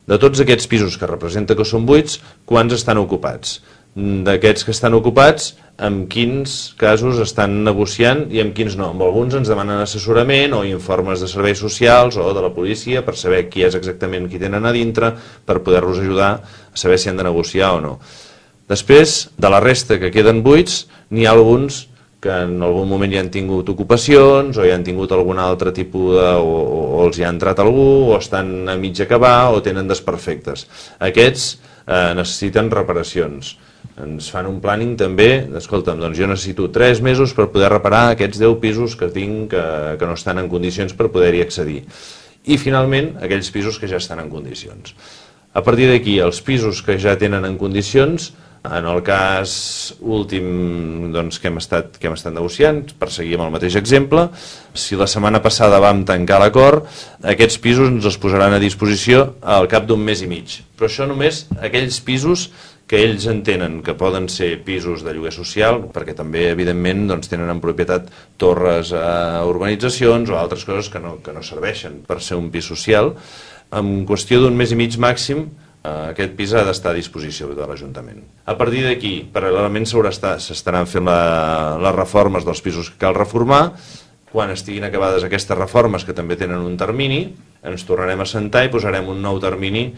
De tots aquests pisos que representa que són buits, quants estan ocupats? D'aquests que estan ocupats, en quins casos estan negociant i en quins no. Amb alguns ens demanen assessorament o informes de serveis socials o de la policia per saber qui és exactament qui tenen a dintre, per poder-los ajudar a saber si han de negociar o no. Després, de la resta que queden buits, n'hi ha alguns que en algun moment ja han tingut ocupacions o ja han tingut algun altre tipus o els hi ha entrat algú o estan a mig acabar o tenen desperfectes. Aquests necessiten reparacions. Ens fan un planning també, escolta'm, doncs jo necessito 3 mesos per poder reparar aquests 10 pisos que tinc que no estan en condicions per poder-hi accedir. I finalment, aquells pisos que ja estan en condicions. A partir d'aquí, els pisos que ja tenen en condicions, en el cas últim que hem estat negociant, per seguir amb el mateix exemple, si la setmana passada vam tancar l'acord, aquests pisos ens els posaran a disposició al cap d'un mes i mig. Però això només aquells pisos que ells entenen que poden ser pisos de lloguer social, perquè també, evidentment, tenen en propietat torres a urbanitzacions o altres coses que no serveixen per ser un pis social. En qüestió d'un mes i mig màxim, aquest pis ha d'estar a disposició de l'Ajuntament. A partir d'aquí, paral·lelament s'estaran fent les reformes dels pisos que cal reformar. Quan estiguin acabades aquestes reformes, que també tenen un termini, ens tornarem a sentar i posarem un nou termini